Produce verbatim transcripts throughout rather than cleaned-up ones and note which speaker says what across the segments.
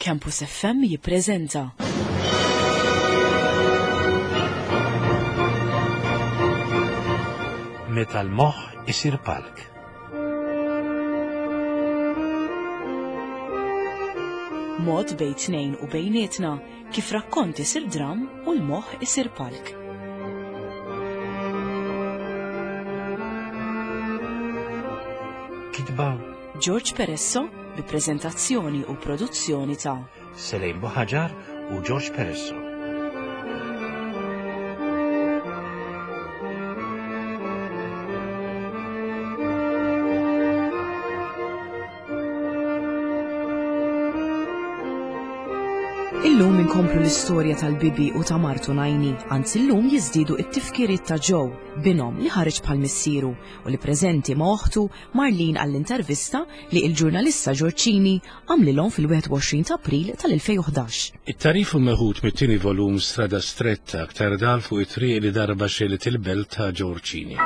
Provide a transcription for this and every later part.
Speaker 1: Campus F M jippreżenta
Speaker 2: Meta l-moħħ isir palk.
Speaker 1: Mod bejn tnejn u bejnietna kif rakkont isir dram u l-moħħ isir palk.
Speaker 2: Kitba
Speaker 1: George Peresso bi preżentazzjoni u produzzjoni ta'
Speaker 2: Selejn Buħaġar u George Peresso.
Speaker 1: Illum inkomplu l-istorja tal-Bibi u ta' martu Najni, anzi llum jiżdiedu t-tifkiriet ta' Joe, binhom li ħareġ bħal missieru u li preżenti ma' oħtu Marlene għall-intervista li il-ġurnalista Ġorġini għamlilhom fil-wieħed u għoxrin ta' April tal-elfejn u ħdax.
Speaker 2: It-tarif hu meħud mit-tieni volum Strada Stretta aktar dal fuq it-triq li darba xelet il-belt ta' Ġorġini.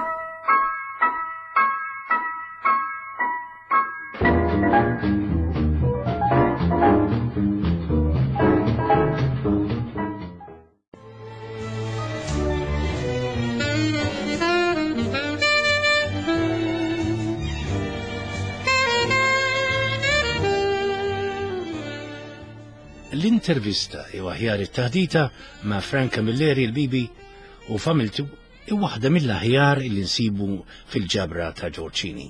Speaker 2: L-intervista jew aħjar it-taħdita ma' Frank Camilleri l-Bibi u familtu hi waħda mill-aħjar li nsibu fil-ġabra ta' Ġorġini.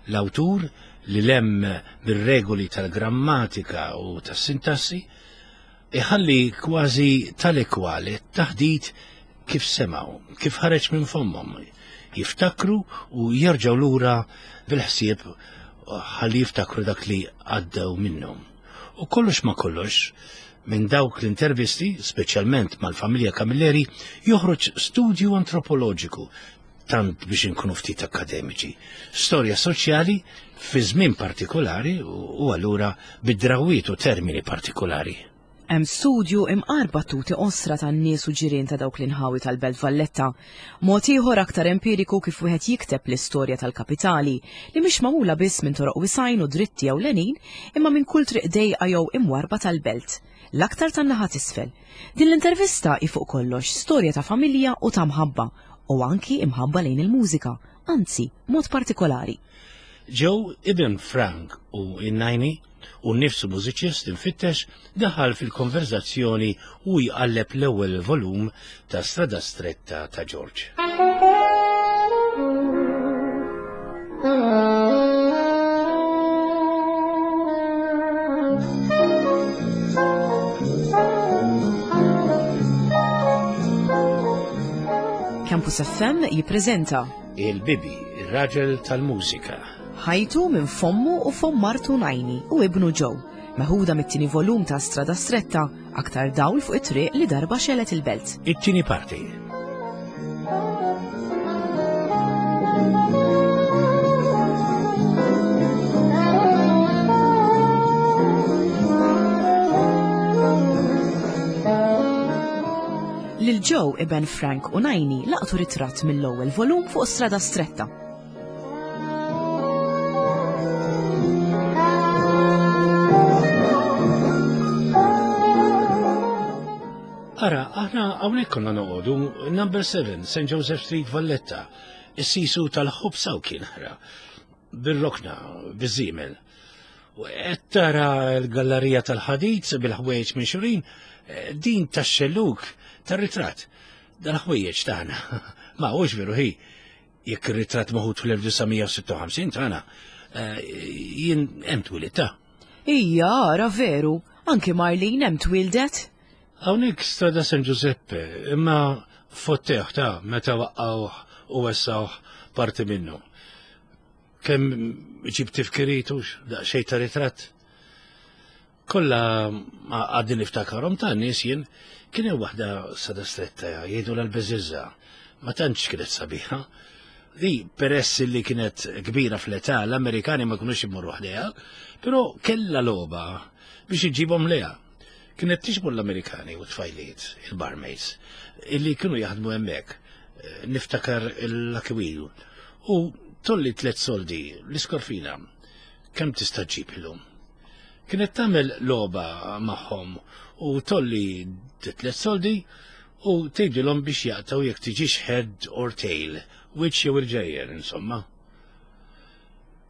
Speaker 2: L-awtur li lem bir-regoli tal-grammatika u tas-sintassi iħalli kważi tal-ekwali taħdit kif semaw, kif ħareġ minn fommhom, jiftakru u jerġgħu lura bil-ħsieb ħalli jiftakru dak li għaddew minnhom. U kollox ma kollox, minn dawk l-intervisti, speċjalment mal-familja Camilleri, joħroġ studju antropoloġiku, tant biex inkunu ftit akademiċi, storja soċjali fi żmien partikolari u, u allura bid-drawiet u termini partikolari.
Speaker 1: Hemm studju imqar battuti qosra tan-nies u ġirien ta' dawk l-inħawi tal-Belt Valletta. Mod ieħor aktar empiriku kif wieħed jikteb l-istorja tal-kapitali li mhix magħmula biss minn toroq wisajn u dritti jew lenin, imma minn kull triq dejqa jew imwarba tal-belt, l-aktar tan-naħa t'isfel. Din l-intervista hi fuq kollox storja ta' familja u ta' mħabba, u anki imħabba lejn il-mużika, anzi mod partikolari.
Speaker 2: Joe ibn Frank u in-Najni u nnifsu mużiċist infittex daħal fil-konverzazzjoni u jqalleb l-ewwel volum ta' Strada Stretta ta' George.
Speaker 1: Campus F M jippreżenta
Speaker 2: Il-Bibi, ir-raġel tal-mużika.
Speaker 1: Ħajtu minn fommu u fomm martu Najni u ibnu Joe, meħuda mit-tieni volum ta' Strada Stretta, aktar dawl fuq it-triq li darba xelet il-belt.
Speaker 2: It-tieni parti.
Speaker 1: Lil Joe iben Frank u Najni laqtu ritratt mill-ewwel volum fuq Strada Stretta.
Speaker 2: Ara, aħna hawnhekk konna noqogħdu number seven, Saint Joseph Street, Valletta. Is-sisu tal-ħobsa u kien ħra. Bir-rokna, biż-żiemel. U qed tara l-gallerija tal-ħadid bil-ħwejjeġ minn xurin, din tax-xelluk tar-ritratt. Dal-ħwejjeġ tagħna. Ma hux veru hi. Jekk ir-ritratt meħud fl-elf disa' mija u sitta u ħamsin tagħna, eh, jien hemm twilid ta'.
Speaker 1: Ija, ara veru, anki Marlene hemm twildet.
Speaker 2: Hawnhekk Strada San Giuseppe, imma fotteħ ta' meta waqqgħuh u wessawh parti minnu. Kemm ġib tifkiritu daqsxejn ta' ritratt. Kollha għadni niftakarhom ta' nies jien, kien hemm waħda Strada Stretta jgħidu l-Beżiża, ma tantx kienet sabiħa. Li peress li kienet kbira fl-età, l-Amerikani ma kinux imorru ħdejha, però kellha logħba biex iġibhom lejha. Kienet tiġbor l-Amerikani u tfajliet, il-barmaids, illi kienu jaħdmu hemmhekk, niftakar il-Lucky Wheel, u tolli tliet soldi, l-iskorfina, kemm tista' ġib illum? Kienet tagħmel logħba magħhom u tolli tliet soldi u tgħidilhom biex jaqtgħu jekk tiġix head or tail, wiċċ jew il-ġejjer, insomma.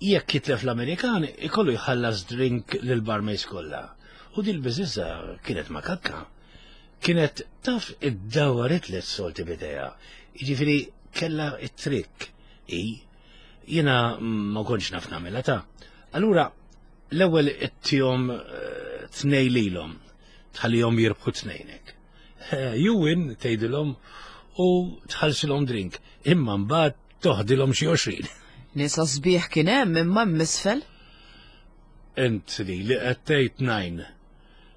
Speaker 2: Jekk jitlef l-Amerikan, ikollu jħallas drink lil barmaids kollha. U dil biżiża kienet makakka. Kienet taf id-dawar it-tliet soldi b'idejha. Jiġifieri kella it-trick. I, jiena ma kontx naf nagħmilha ta'. Allura, l-ewwel ittihom eh, tnej lilhom, tħallihom jirbħu tnejnek. Eh, you win, tgħidilhom u tħallsilhom drink, imma mbagħad toħdilhom xi għoxrin.
Speaker 1: Nisa sbieħ kien hemm imma misfel.
Speaker 2: Int li li qed tgħid najn.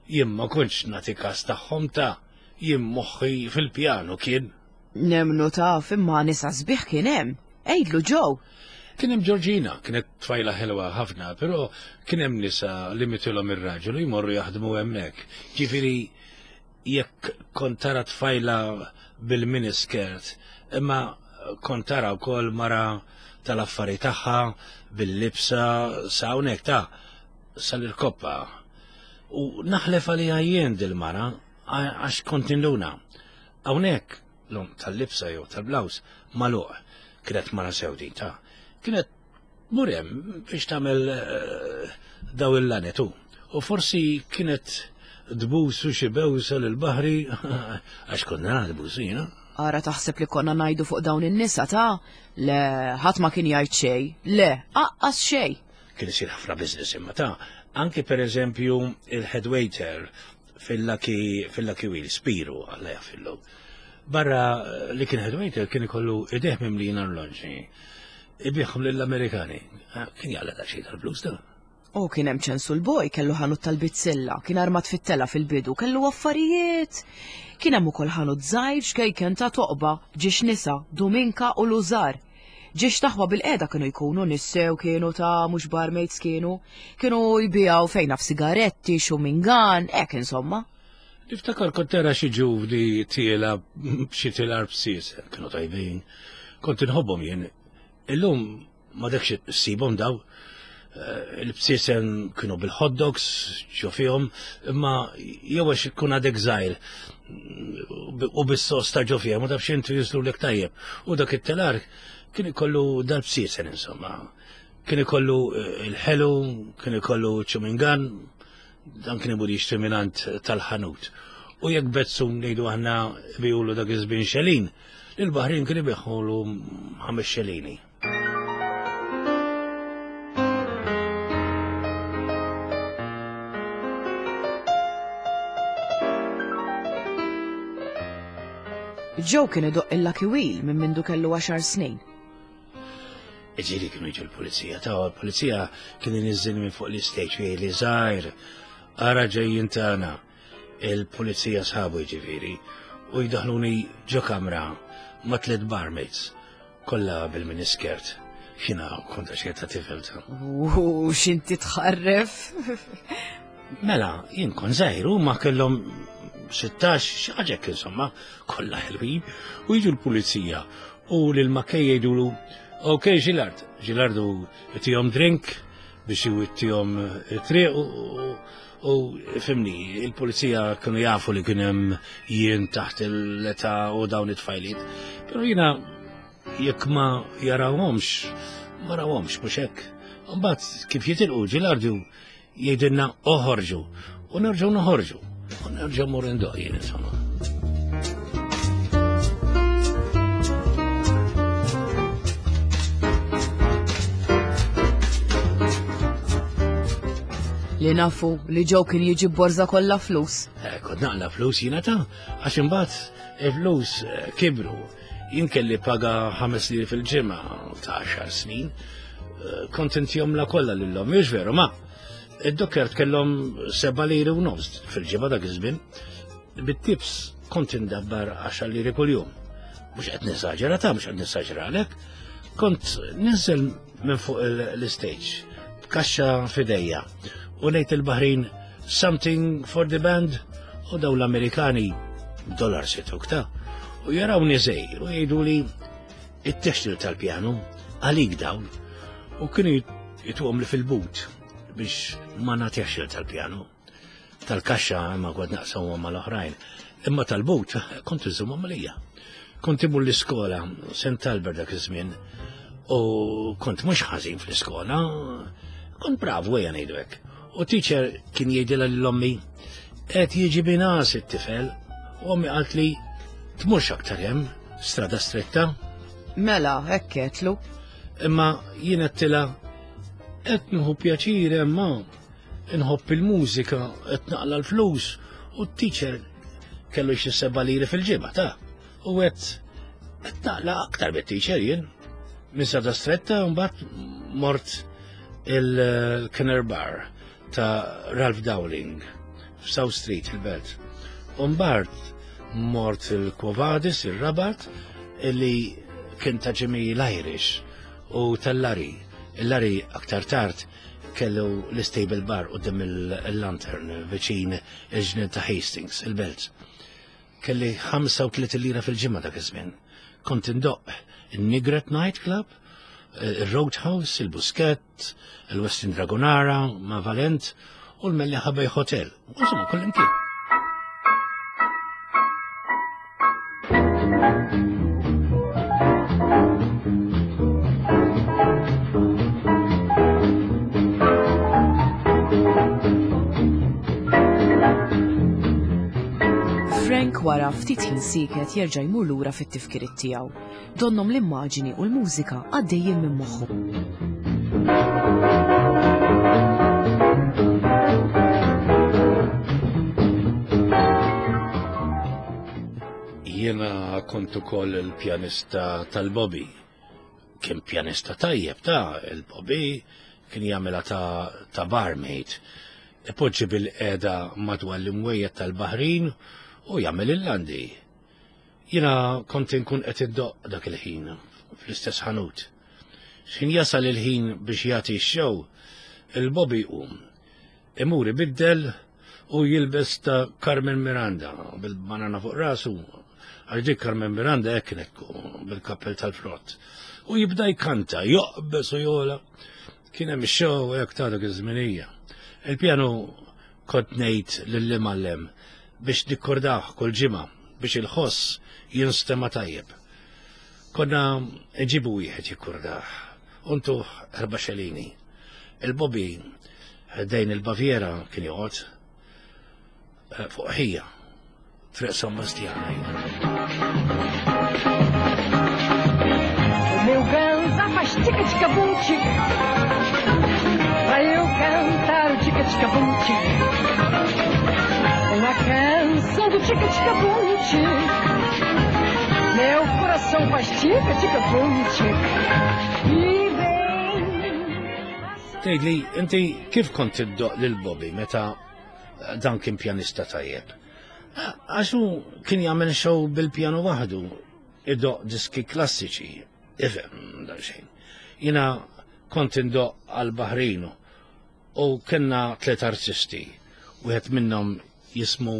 Speaker 2: Jien ma kontx nagħti każ tagħhom ta' jien moħħi fil-pjanu kien.
Speaker 1: Nemnu taf imma nisa sbieħ kien hemm. Għidlu Joe.
Speaker 2: Kien hemm Georgina, kienet tfajla ħelwa ħafna, però kien hemm nisa li mitilhom ir-raġel u jmorru jaħdmu hemmhekk. Ġifieri jekk kont tara tfajla bil-miniskirt, imma kont tara wkoll mara tal-affari tagħha bil-libsa sa hawnhekk ta' sal-irkoppa. U naħlef għaliha jien dil-mara għax kont induna. Hawnhekk l tal-libsa jew tal-blouse magħluq kienet mara sewdin ta' kienet murem biex tagħmel eh, daw il-lanetu. U forsi kienet tbusu xi bewsa lill-baħri għax konna tbusu jiena.
Speaker 1: Ara taħseb li konna ngħidu fuq dawn in-nisa ta' le ħadd ma kien jgħid xejn. Le, aqqas xejn.
Speaker 2: Kien isir ħafna business imma ta' anki per eżempju il-head waiter fil-Lucky fil-Lucky Wheel, Spiru, Alla jaħfirlu. Barra li kien head waiter kien ikollu idejh mimlin arloġġi. Ibigħhom lill-Amerikani. Ah, kien jaqla' daqsxejn tal-flus da.
Speaker 1: U kien hemm ċensu l-boj kellu ħanut tal-bizzilla, kien armat fit-tela fil-bidu, kellu affarijiet. Kien hemm ukoll ħanut żgħir xkejken ta' toqba, ġiex nisa, Dominka u Lużar. Ġiex taħwa bil-qeda kienu jkunu nissew kienu ta' mhux barmaids kienu, kienu jbijaw fejna f'sigaretti, xumingan, hekk insomma.
Speaker 2: Niftakar kont tara xi ġuvni tiela b'xi tilar b'sies, kienu tajbin. Kont inħobbhom jien. Illum ma dekx issibhom daw. Eh, il-bsiesen kienu bil-hot dogs, ġo fihom, imma jew għax ikun għadek żgħir u bis-sos ta' ġo fihom, u taf x'intu jiżlu lek tajjeb. U dak it-telar kien ikollu dal-bsiesen insomma. Kien ikollu eh, il-ħelu, kien ikollu ċumingan, dan kien imur jixtri mingħand tal-ħanut. U jekk Bezzun ngħidu aħna bijulu dak iż-żmien xelin, il-Baħrin kien ibiħħulu ħames xelini.
Speaker 1: Joe kien idoqq il-Lucky Wheel minn mindu kellu għaxar snin.
Speaker 2: Ġieli kienu jiġu l-pulizija, ta' l-pulizija kien iniżżilni minn fuq l-istage u jgħidli żgħir, ara ġejjin tagħna. Il-pulizija sħabu jiġifieri u jdaħluni ġo kamra ma' tliet barmaids, kollha bil-miniskirt. Jiena kont għaxejn ta' tifel ta'.
Speaker 1: U x'inti tħarref?
Speaker 2: Mela, jien kont żgħir u ma kellhom sittax, xi ħaġa hekk insomma, kollha ħelwin, u jiġu l-pulizija u lil Mackay jgħidulu, ok Gilard, Gilardu tihom drink biex iwittihom it-triq u, u fimni, il-pulizija kienu jafu li kien hemm jien taħt l-età u dawn it-tfajliet. Però jiena jekk ma jarawhomx, ma rawhomx mhux hekk. Mbagħad kif jitilqu Gilardu jgħidilna oħorġu u nerġgħu noħorġu. U nerġgħu mmur indoq jien insomma.
Speaker 1: Li nafu li Joe kien jiġi borza kollha flus.
Speaker 2: Eh, kont naqla flus jiena ta' għax imbagħad il-flus eh, kibru. Jien kelli paga ħames liri fil-ġimgħa ta' għaxar snin. Eh, kont intihom la kollha lilhom, mhux veru ma. Id-dokkert kellhom seba' liri u nofs fil-ġimgħa dak iż-żmien. Bit-tips kont indabbar għaxar liri kuljum. Mhux qed nisaġera ta' mhux qed nisaġera għalhekk. Kont ninżel minn fuq l-istage b'kaxxa f'idejja u ngħid il-Baħrin something for the band u daw l-Amerikani dollar situk ta' u jarawni żgħir u jgħidu li it-textil tal-pjanu għalik dawn u kienu jituhom li fil-but biex ma nagħtihx tal-pjanu. Tal-kaxxa ma kont naqsamhom mal-oħrajn. Imma tal-but kont iżommhom għalija. Kont imur l-iskola, Saint Albert dak iż-żmien, u kont mhux ħażin fl-iskola, kont bravu ejja ngħidu hekk. U teacher kien jgħidilha lil ommi, qed jiġi binas it-tifel, u ommi qalt li tmurx aktar hemm, Strada Stretta.
Speaker 1: Mela, hekk għedtlu.
Speaker 2: Imma jien għedtilha qed nieħu pjaċir hemm inħobb il-mużika, qed naqla l-flus u t-teacher kellu xi seba' liri fil-ġimgħa ta' u qed qed naqla aktar bit-teacher jien. Minn Strada Stretta mbagħad mort il-Kenner Bar ta' Ralph Dowling f'South Street il-Belt. U mbagħad mort il-Quo Vadis, il-Rabat, illi kien ta' Jimmy l-Irish u tal-Lari. Il-Lari aktar tard kellu l-Stable Bar quddiem il-Lantern viċin il-ġnien ta' Hastings, il-Belt. Kelli ħamsa u tletin lira fil-ġimgħa dak iż-żmien. Kont indoqq il-Nigret Night Club, il-Roadhouse, il-Buskett, il-Westin Dragonara, ma' Valent u l-Mellieħa Bay Hotel. Insomma, kullimkien.
Speaker 1: Frank wara ftit ħin sieket jerġa' jmur lura fit-tifkiriet tiegħu. Donnhom l-immaġini u l-mużika għaddejjin minn moħħu.
Speaker 2: Jiena kont ukoll il-pjanista tal-Bobby. Kien pjanista tajjeb ta' il-Bobby kien jagħmilha ta', ta barmaid. Ipoġġi bil-qeda madwar l-imwejjed tal-Baħrin u jagħmel il-landi. Jiena kont inkun qed iddoqq dak il-ħin fl-istess ħanut. X'ħin jasal il-ħin biex jagħti x-show, il-Bobby jqum. Imur ibiddel u jilbes ta' Carmen Miranda bil-banana fuq rasu. Għax dik Carmen Miranda hekk kienet bil-kappell tal-frott. U jibda jkanta, joqbes u jola. Kien hemm show hekk ta' dak iż-żminija. Il-pjanu kont ngħid lill-imgħallem biex nikkordaħ kull ġimgħa biex il-ħoss jinstema' tajjeb. Konna nġibu wieħed jikkordaħ, untuh erba' xelini. Il-Bobby ħdejn il-Baviera kien joqgħod eh, fuq ħija, Triq San Bastjana.
Speaker 3: O meu ganza faz tica-tica-bum tic. Pra eu cantar o tica-tica-bum tic. Uma canção do tica-tica-bum tic. Meu coração faz tica-tica-bum tic. E vem.
Speaker 2: Tgħidli, inti kif kont iddoqq lil Bobby meta dan kien pjanista tajjeb? Għax hu kien jagħmel show bil-pjanu waħdu, idoqq diski klassiċi, ifhem dan xejn. Jiena kont indoqq għal Baħrinu u kellna tliet artisti, wieħed minnhom jismu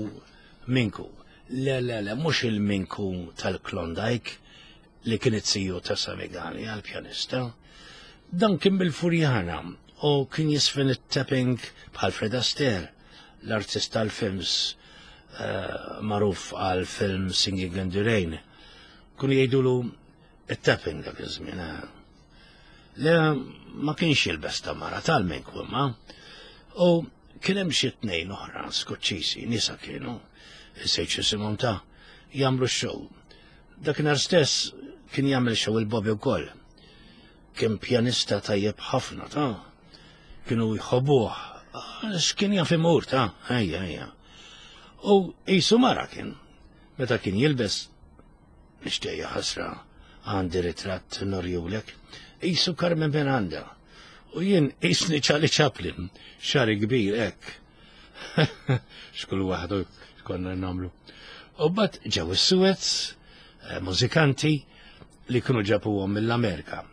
Speaker 2: Minku. Le, le, le, mhux il-Minku tal-Klondike li kien it-siju ta' Samigali għal-pjanista. Dan kien bil-Furjana u kien jiżfen it-tapping bħal Fred Astaire, l-artist tal-films uh, magħruf għal film Singing in the Rain. Kienu jgħidulu it-tapping dak iż-żmien. eh. Le ma kienx jilbes ta' mara tal-Minku imma. U kien hemm xi tnejn oħra Skoċċisi, nisa kienu, insejt isimhom ta' jagħmlu x-show. Dakinhar stess kien jagħmel show il-Bobby wkoll. Kien pjanista tajjeb ħafna ta' kienu jħobbuh. Għax kien jaf imur ta' ejja ejja. U qisu mara kien. Meta kien jilbes, nixtieq ħasra għandi ritratt nurihulek, qisu Carmen Miranda. U jien qisni Charlie Chaplin, xagħri kbir hekk. Xkull waħdu konna nagħmlu. U mbagħad ġew is-Suez, eh, mużikanti li kienu ġabuhom mill-Amerika.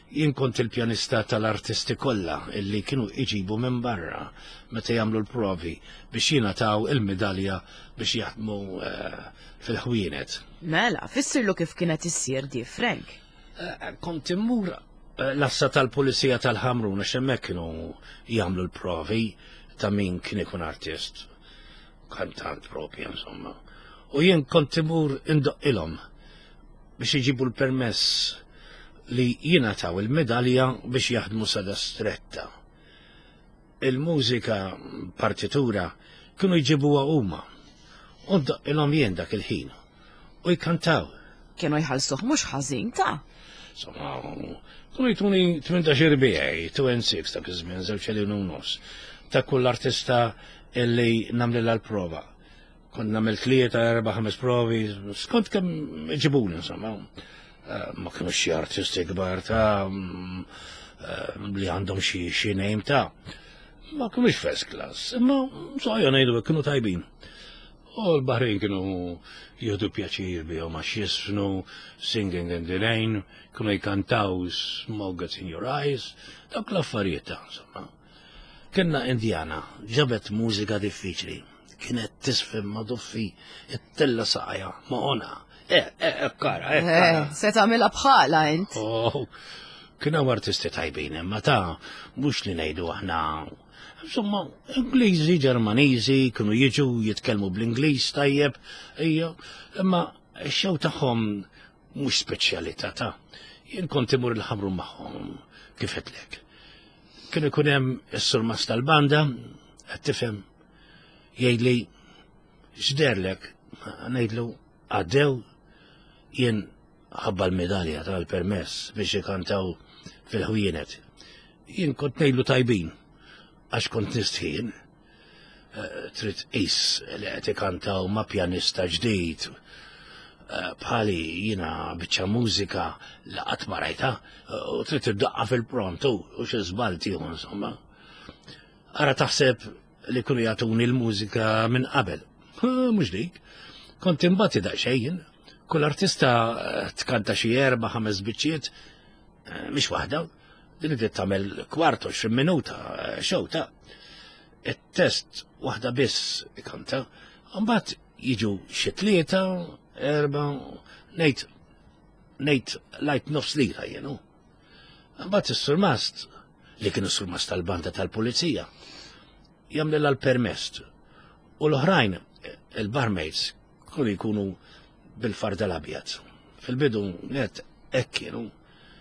Speaker 2: Jien kont il-pjanista tal-artisti kollha illi kienu iġibu minn barra meta jagħmlu l-provi biex jingħataw il-medalja biex jaħdmu eh, fil-ħwienet.
Speaker 1: Mela, fissirlu kif kienet issir di, Frank.
Speaker 2: Eh, Kont immur L-assa tal-pulizija tal-Ħamrun, għax hemmhekk kienu jagħmlu l-provi ta' min kien ikun artist, kantant propja, insomma. U jien kont imur indoqqilhom biex iġibu l-permess li jingħataw il-medalja biex jaħdmu sada stretta. Il-mużika partitura kienu jġibuha huma. U ndoqqilhom jien dak il-ħin. U jkantaw.
Speaker 1: Kienu jħallsuh mhux ħażin ta'.
Speaker 2: Insomma, kienu jtuni tmintax bijaj, two and six dak iż-żmien, żewġ elin u nofs, ta' kull artista illi nagħmlilha l-prova. Kont nagħmel tlieta, erba', ħames provi, skont kemm iġibuni, insomma. Ma kienu xi artisti kbar ta' li għandhom xi xi name ta'. Ma kienux first class, imma soja ngħidu kienu tajbin. U l-Baħrin kienu jieħdu pjaċir bihom għax jisfnu Singing in the Rain, kienu jkantaw Smoke Gets in Your Eyes, dawk l-affarijiet ta' insomma. Kienna Indjana, ġabet mużika diffiċli, kienet tisfim ma duffi, it-tella saqajja, ma ona. Eh, eh, kara, eh, kara.
Speaker 1: Se tagħmilha bħala int.
Speaker 2: Oh, kienu artisti tajbin, imma ta' mhux li ngħidu aħna. Insomma, Ingliżi, Ġermaniżi, kienu jiġu jitkellmu bl-Ingliż tajjeb, ejja, imma x-xew tagħhom mhux speċjalità ta'. Jien kont imur il-Ħamrun magħhom, kif qedlek. Kien ikun hemm is-surmast tal-banda, qed tifhem, jgħidli x'derlek, ngħidlu għaddew, jien ħabba l-medalja tal-permess biex ikantaw fil-ħwienet. Jien kont ngħidlu tajbin, għax kont nistħin, trid qis li qed ikantaw ma' pjanista ġdid, bħali jiena biċċa mużika li qatt ma rajta, u trid iddaqqa fil-pront u xi żball tieħu insomma. Ara taħseb li kienu jagħtuni l-mużika minn qabel. Mhux dik. Kont imbagħad daqsxejn, kull artista tkanta xi erba' ħames biċċiet, mhix waħda. Din trid tagħmel kwart għoxrin minuta xew ta' it-test waħda biss ikanta, mbagħad jiġu xi tlieta, erba', ngħid ngħid lajt nofs lira jienu. Mbagħad is-surmast, li kien is-surmast tal-banda tal-pulizija, jagħmlilha l-permess. U l-oħrajn, il-barmaids, kienu jkunu bil-farda l-abjad. Fil-bidu net hekk kienu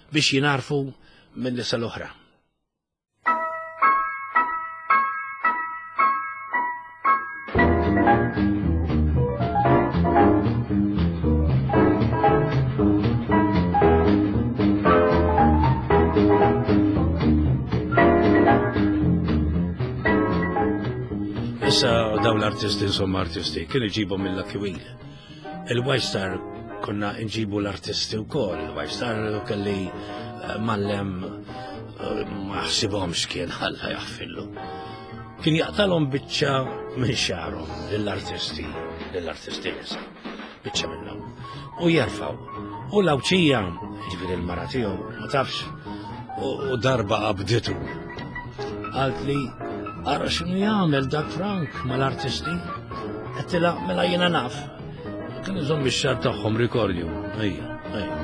Speaker 2: biex jinarfu minn nisa l-oħra. Issa dawn l-artisti, insomma artisti, kienu jġibhom mill-Lucky Wheel. Il-White Star konna nġibu l-artisti wkoll. Il-White Star kelli mallem ma ħsibhomx kien ħalla jaħfillu. Kien jaqtalhom biċċa minn xagħarhom lill-artisti, lill-artisti nisa, biċċa minnhom. U jerfgħu. U l-Awċija, ġifieri l-mara tiegħu, ma tafx, u darba qabditu. Qalt li ara x'inhu jagħmel dak Frank mal-artisti. Għedtilha mela jiena naf. Kien iżomm ix-xagħar tagħhom rikordju. Ejja, ejja.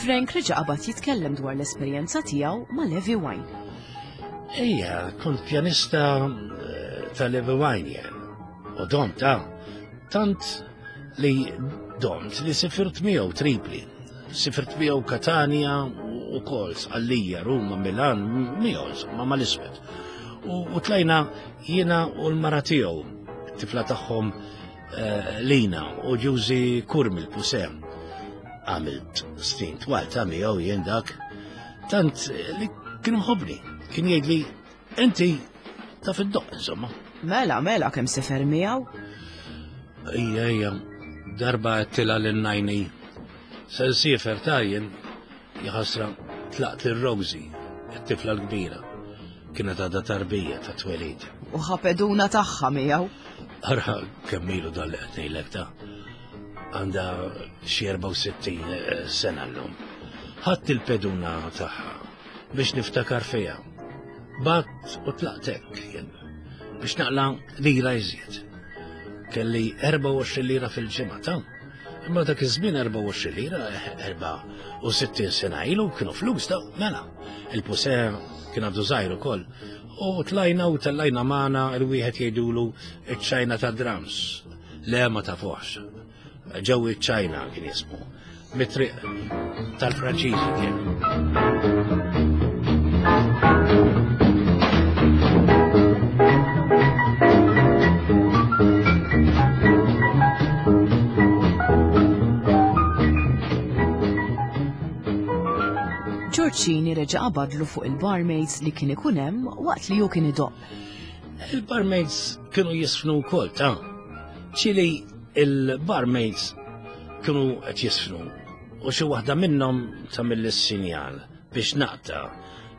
Speaker 1: Frank reġa' qabad jitkellem dwar l-esperjenza tiegħu ma' Levi Wine.
Speaker 2: Ejja, kont pjanista ta' Levi Wine jien. U domt, ta' tant li domt li sifirt miegħu Tripli. Sifirt miegħu Katania u kol, Sqallija, Ruma, Milan, miegħu insomma mal-iswed. U tlajna jiena u l-mara tiegħu, it-tifla tagħhom Lina u Ġużi Kurmi l-Pusem. Għamilt snin twal ta' miegħu jien dak, tant li kien mħobni, kien jgħidli inti taf id-doq insomma.
Speaker 1: Mela, mela kemm sefer miegħu?
Speaker 2: Ejja, ejja, darba għedtilha lil Najni. Se nsifer ta' jien, jaħasra tlaqt lil Rosie, it-tifla l-kbira. Kienet għadha tarbija ta' twelid.
Speaker 1: U ħapeduna tagħha miegħu.
Speaker 2: Ara kemm ilu dan li qed ngħidlek ta'. Għandha xi erbgħa u sittin sena llum. Ħadd il-peduna tagħha biex niftakar fiha. Bat u tlaqtek jien biex naqla lira iżjed. Kelli erbgħa u għoxrin lira fil-ġimgħa ta'. Imma dak iż-żmien erbgħa u għoxrin lira, erbgħa u sittin sena ilu kienu flus ta' mela. Il-puse kien għadu żgħir ukoll. U tlajna u tellajna magħna il-wieħed jgħidulu iċ-Ċajna ta' drums. Le ma tafuħx. Ġew iċ-Ċajna kien jismu. Mit-triq tal-Franċiżi kien.
Speaker 1: George Cini reġa' qabadlu fuq il-barmaids li kien ikun hemm waqt li hu kien idoqq.
Speaker 2: Il-barmaids kienu jisfnu wkoll ta' ċili il-barmaids kienu qed jisfnu u xi waħda minnhom tagħmel is-sinjal biex naqta'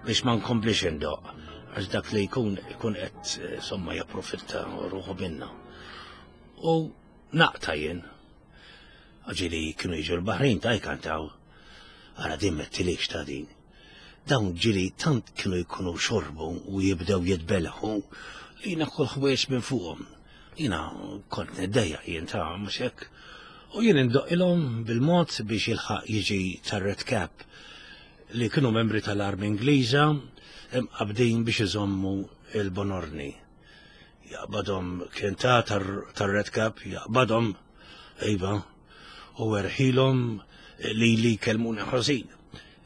Speaker 2: biex ma nkomplix indoqq għax dak li jkun ikun qed insomma japprofitta ruħu minna. U naqta' jien. Ġieli kienu jiġu l-Baħrin ta' jkantaw. Ara din mettilix ta' din. Dawn ġieli tant kienu jkunu xorbu u jibdew jitbelħu li jiena kull ħwejjeġ minn fuqhom. Jiena kont niddejjaq jien ta' mhux hekk. U jien indoqqilhom bil-mod biex jilħaq jiġi tar-Red Cap li kienu membri tal-Armi Ingliża imqabdin biex iżommu il-Bonorni. Jaqbadhom kien ta' tar-Red Cap, jaqbadhom, iva, u erħilhom li li kelmuni ħażin.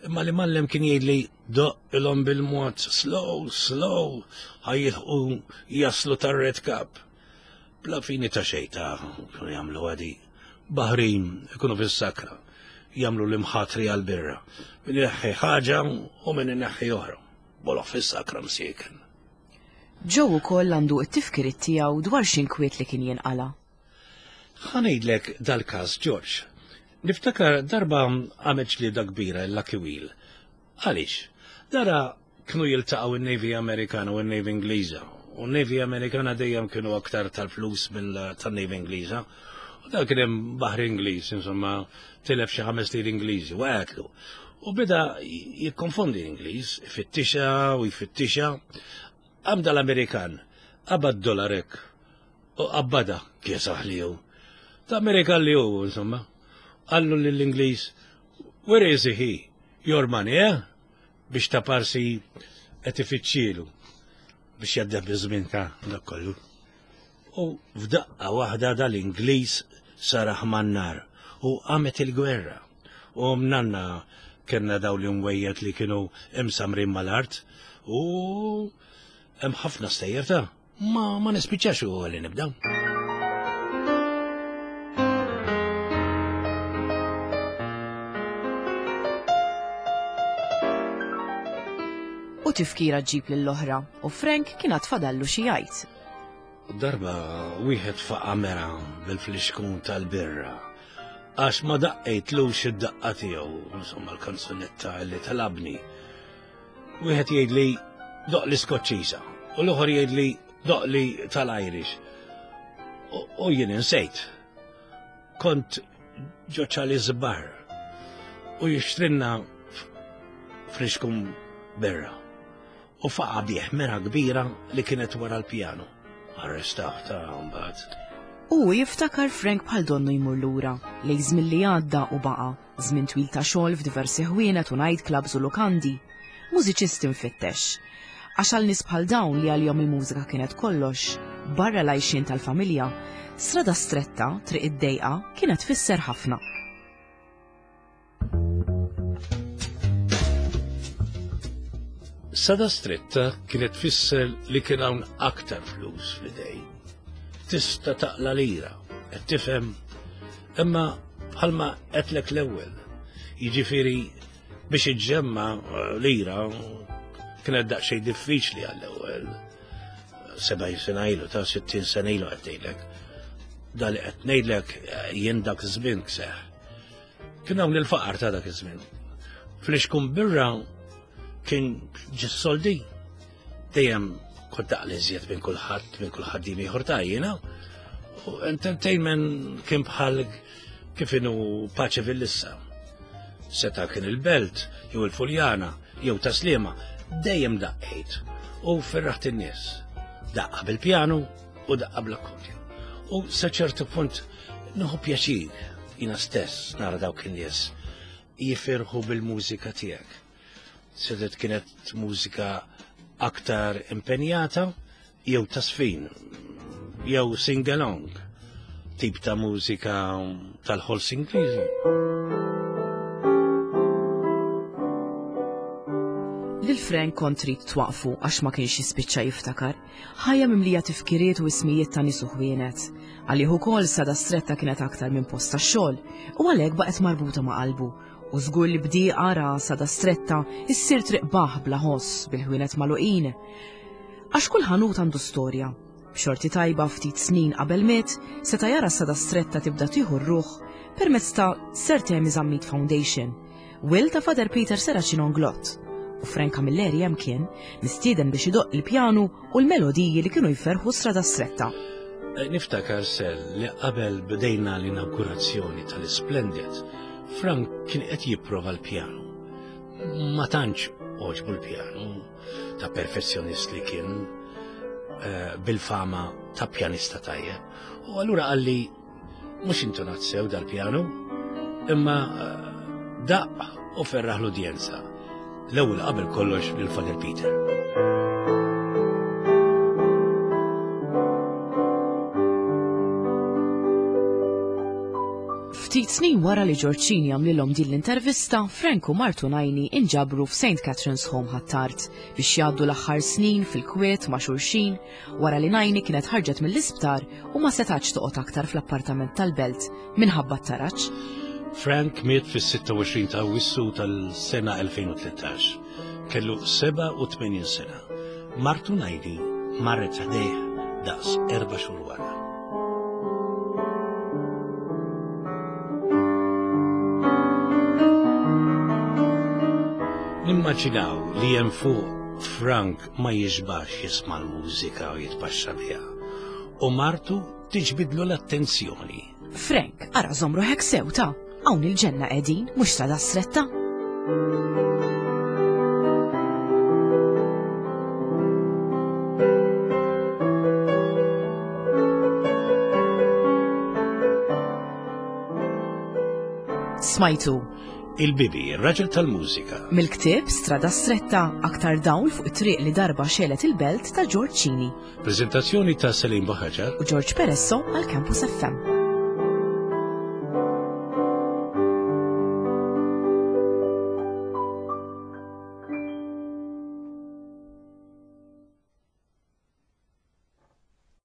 Speaker 2: Imma li mallem kien jgħidli doqqilhom bil-mod slow, slow, ħajjilħqu jaslu tar-Red Cap. Bla fini ta' xejn ta' kienu jagħmlu għadi. Baħrin ikunu fis-sakra, jagħmlu l-imħatri għall-birra. Min ineħħi ħaġa u min ineħħi oħra. Boloħ fis-sakra msieken.
Speaker 1: Joe ukoll għandu t-tifkiriet tiegħu dwar x'inkwiet li kien jinqala.
Speaker 2: Ħa ngħidlek dal-każ, George. Niftakar darba għamet ġlieda kbira l-Lucky Wheel. Għaliex? Dara kienu jiltaqgħu in-Navy Amerikana u n-Navy Ingliża. U n-Navy Amerikana dejjem kienu aktar tal-flus mill tan-Navy Ingliża. U dak kien hemm baħar Ingliż, insomma, tilef xi ħames lir Ingliżi u għatlu. U beda jikkonfondi l-Ingliż, ifittixha u jfittixha. Għamda l-Amerikan, qabad dollarek u qabbada kiesaħ li hu. Ta' Amerikan li hu, insomma. Qallu lill-Ingliż, where is he? Your money, eh? Biex ta' parsi qed ifittxielu biex jaddeħ biż-żmien ta' dak kollu. U f'daqqa waħda dal-Ingliż saraħ man-nar u qamet il-gwerra. U mnanna kellna daw li mwejjed li kienu imsamrin mal-art u hemm ħafna stejjer ta' ma, ma nispiċċax u għalli nibda.
Speaker 1: U tifkira ġib lill-oħra u Frank kien għad fadallu xi jgħid.
Speaker 2: Darba wieħed faqa' mera bil-flixkun tal-birra għax ma daqqejtlux id-daqqa tiegħu, insomma l-kanzunetta li talabni. Wieħed jgħidli doq li Skoċċiża u l-oħor jgħidli doq li tal-Irish. U jien insejt. Kont ġo Charlie's Bar u jixtrinna flixkun birra. U faqa' bih mera kbira li kienet wara l-pjanu. Arrestaw ta' mbagħad.
Speaker 1: U jiftakar Frank bħal donnu jmur lura, lejn żmien li għadda u baqa', żmien twil ta' xogħol f'diversi ħwienet u night clubs u lukandi. Mużiċist infittex. Għax għal nies bħal dawn li għalihom il-mużika kienet kollox, barra l-għajxien tal-familja, strada stretta, triq id-dejqa, kienet tfisser ħafna.
Speaker 2: Strada stretta kienet tfisser li kien hawn aktar flus fl-idej. Tista' taqla lira, qed tifhem, imma bħalma qedlek l-ewwel. Jiġifieri biex iġġemma lira kienet daqsxejn diffiċli għall-ewwel. Sebgħin sena ilu, ta' sittin sena ilu qed ngħidlek. Da li qed ngħidlek jien dak iż-żmien kseħ. Kien hawn il-faqar ta' dak iż-żmien. Flixkun birra kien ġis-soldi. Dejjem kont daqli iżjed minn kulħadd, minn kull ħaddiem ieħor ta' jiena. U entertainment kien bħal Kif inhu Pace Villissa. Seta' kien il-Belt, jew il-Fuljana, jew Taslima, dejjem daqqejt u ferraħt in-nies. Daqqa bil-pjanu u daqqa bl-akkordion. U sa ċertu punt nieħu pjaċir jiena stess nara dawk in-nies jifirħu bil-mużika tiegħek. Sedet kienet mużika aktar impenjata jew tasfin jew sing-along, tip ta' mużika tal-ħols Ingliżi.
Speaker 1: Lil Frank kont trid twaqfu għax ma kienx jispiċċa jiftakar. Ħajja mimlija tifkiriet u ismijiet ta' nies u ħwienet. Għalih ukoll Strada Stretta kienet aktar minn post tax-xogħol u għalhekk baqgħet marbuta ma' qalbu. U żgur li bdieqa ra Strada Stretta issir triq baħ bla ħoss bil-ħwienet magħluqin. Għax kull ħanut għandu storja. B'xorti tajba ftit snin qabel miet, seta' jara Strada Stretta tibda tieħu r-ruħ permezz ta' Sir Temi Zammit Foundation, Will ta' Father Peter Serracino Inglott. U Frank Camilleri hemm kien mistieden biex idoqq il-pjanu u l-melodiji li kienu jferħu Strada Stretta.
Speaker 2: Eh, Niftakar sel li qabel bdejna l-inaugurazzjoni tal-Splendid, Frank kien qed jipprova l-pjanu. Ma tantx għoġbu l-pjanu ta' perfezzjonist li kien eh, bil-fama ta' pjanista tajjeb. U allura qalli mhux intonat sew dal-pjanu, imma eh, daqq u ferraħ l-udjenza. L-ewwel qabel kollox lil Father Peter.
Speaker 1: Ftit snin wara li George Cini għamlilhom din l-intervista, Frank u martu Najni inġabru f'Saint Catherine's Home Ħ'Attard biex jgħaddu l-aħħar snin fil-kwiet ma' xulxin wara li Najni kienet ħarġet mill-isptar u ma setax toqgħod aktar fl-appartament tal-belt minħabba t-taraġ.
Speaker 2: Frank miet fis-sitta u għoxrin ta' Awwissu tal-sena elfejn u tlettax. Kellu seba' u tmenin sena. Martu Najni marret ħdejh daqs erba' xhur wara. Nimmaġinaw li hemm fuq Frank ma jiġbax jisma' l-mużika u jitpaxxa biha. U martu tiġbidlu l-attenzjoni.
Speaker 1: Frank, ara żomm ruħek sew ta' hawn il-ġenna qegħdin, mhux Strada Stretta. Smajtu.
Speaker 2: Il-Bibi, ir-raġel tal-mużika.
Speaker 1: Mill-ktieb Strada Stretta, aktar dawl fuq it-triq li darba xelet il-belt ta' George Cini.
Speaker 2: Prezentazzjoni ta' Selim Buhaġar
Speaker 1: u George Peresso għal Campus F M.